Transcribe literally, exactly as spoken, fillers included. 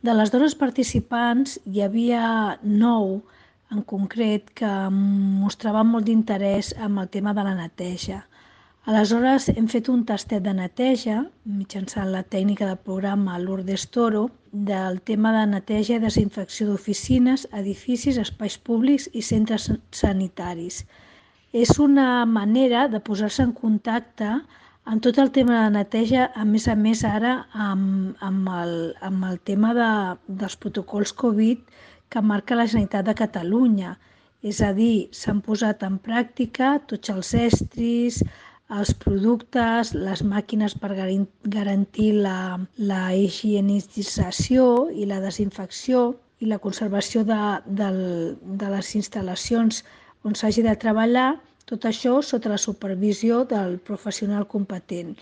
De les dones participants hi havia nou en concret que mostraven molt d'interès en el tema de la neteja. Aleshores hem fet un tastet de neteja mitjançant la tècnica del programa Lourdes Toro del tema de neteja i desinfecció d'oficines, edificis, espais públics i centres sanitaris. És una manera de posar-se en contacte amb tot el tema de neteja, a més a més ara amb, amb, el, amb el tema de, dels protocols Covid que marca la Generalitat de Catalunya. És a dir, s'han posat en pràctica tots els estris, els productes, les màquines per garantir la, la higienització i la desinfecció i la conservació de, de, de les instal·lacions on s'hagi de treballar, tot això sota la supervisió del professional competent.